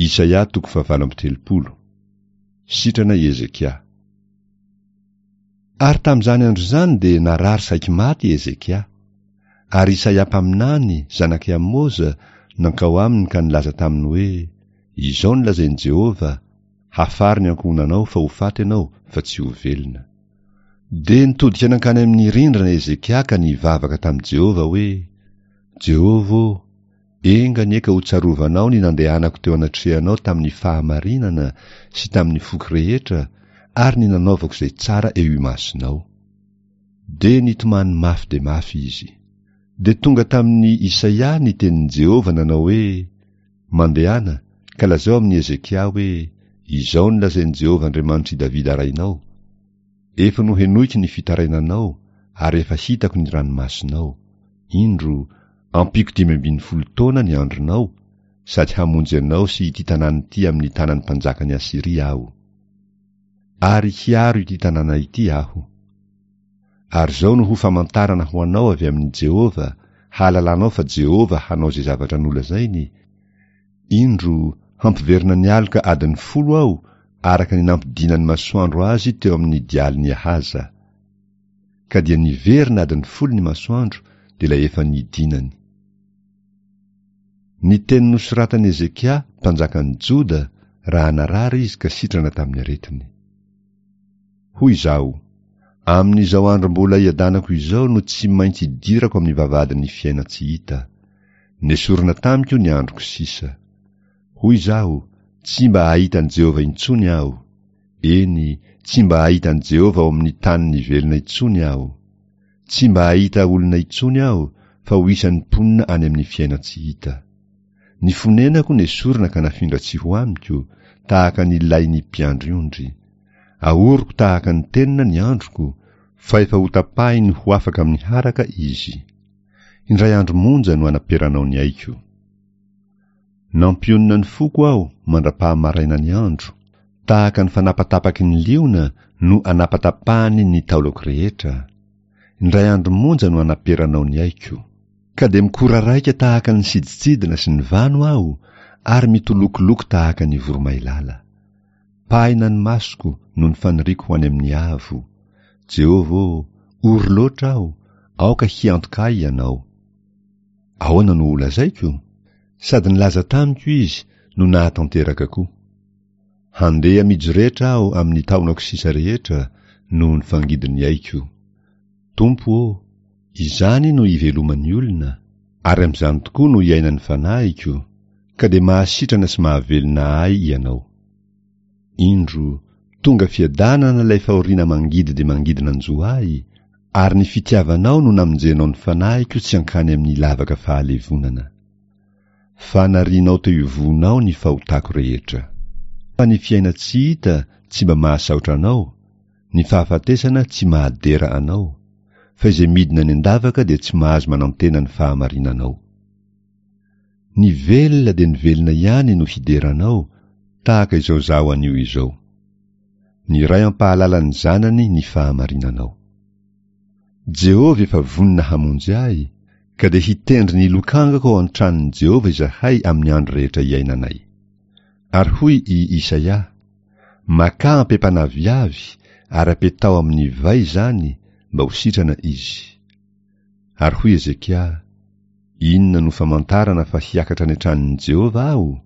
Isaia toko fahavalo amby 30. Sitrana i Hezekia. Ary tamin'izany andro izany dia narary saiky maty i Hezekia. Ary Isaia mpaminany, zanak'i Amoza, nankao aminy ka nilaza taminy hoe, Izao no lazain'i Jehovah, Hafaro ny ankohonanao fa ho faty ianao fa tsy ho velona. Dia nitodika nankany amin'ny rindrina Hezekia ka nivavaka tamin'i Jehovah hoe, Jehovah ô, enga anie ka hotsarovanao ny nandehanako teo anatrehanao tamin'ny fahamarinana sy tamin'ny foko rehetra ary ny nanaovako izay tsara eo imasonao. Dia nitomany mafy dia mafy izy. Dia tonga tamin'i Isaia ny tenin'i Jehovah nanao hoe, Mandehana, ka lazao amin'i Hezekia hoe, 'Izao no lazain'i Jehovah Andriamanitr'i Davida rainao, Efa nohenoiko ny fitarainanao ary efa hitako ny ranomasonao. Indro, ampiako 15 taona ny andronao, sady hamonjy anao sy ity tanàna ity amin'ny tanan'ny mpanjakan'i Asyria aho. Ary hiaro ity tanàna ity aho. Ary izao no ho famantarana ho anao avy amin'i Jehovah, hahalalanao fa Jehovah hanao izay zavatra nolazainy, Indro, hampiverina ny aloka adiny folo aho, araka ny nampidinan'ny masoandro azy teo amin'ny dialin'i Ahaza. Ka dia niverina adiny folo ny masoandro, dia ilay efa nidinany. Ny teny nosoratan'i Hezekia, mpanjakan'i Joda, raha narary izy ka sitrana tamin'ny aretiny. Hoy izaho, Amin'izao andro mbola iadanako izao no tsy maintsy idirako amin'ny vavahadin'ny fiainan-tsy hita. Nesorina tamiko ny androko sisa. Hoy izaho, Tsy mba hahita an'i Jehovah intsony aho. Eny, tsy mba hahita an'i Jehovah ao amin'ny tanin'ny velona intsony aho. Tsy mba hahita olona intsony aho, fa ho isan'ny mponina any amin'ny fiainan-tsy hita. Ny fonenako nesorina ka nafindra tsy ho amiko, tahaka ny lain'ny mpiandry ondry. Ahoriko tahaka ny tenona ny androko, fa efa hotapahiny ho afaka amin'ny haraka izy. Indray andro monja no anaperanao ny aiko. Nampionona ny foko aho mandra-pahamaraina ny andro, tahaka ny fanapatapaky ny liona no anapatapahany ny taolako rehetra. Indray andro monja no anaperanao ny aiko. Ka dia mikoraraika tahaka ny sidintsidina sy ny vano aho, ary mitolokoloko tahaka ny voromailala. Pahina ny masoko noho ny faniriako ho any amin'ny avo. Jehovah ô, ory loatra aho, aoka hiantoka ahy Ianao. Ahoana no holazaiko? Sady nilaza tamiko Izy no nahatanteraka koa. Handeha mijoretra aho amin'ny taonako sisa rehetra noho ny fangidin'ny aiko. Tompo ô, izany no iveloman'ny olona, ary amin'izany tokoa no iainan'ny fanahiko, ka dia mahasitrana sy mahavelona ahy Ianao. Indro, tonga fiadanana ilay fahoriana mangidy dia mangidy nanjo ahy, ary ny fitiavanao no namonjenao ny fanahiko tsy hankany amin'ny lavaka fahalevonana. Fa narianao teo ivohonao ny fahotako rehetra. Fa ny fiainan-tsy hita tsy mba mahasaotra anao, ny fahafatesana tsy mahadera anao, fa izay midina any an-davaka dia tsy mahazo manantena ny fahamarinanao. Ny velona dia ny velona ihany no hidera anao, tahaka izao izaho anio izao. Ny ray hampahalala ny zanany ny fahamarinanao. Jehovah efa vonona hamonjy ahy, ka dia hitendry ny lokangako ao an-tranon'i Jehovah izahay amin'ny andro rehetra iainanay. Ary hoy i Isaia, Makà ampepan'aviavy ary apetaho amin'ny vay izany mba ho sitrana izy. Ary hoy Hezekia, Inona no famantarana fa hiakatra any an-tranon'i Jehovah aho?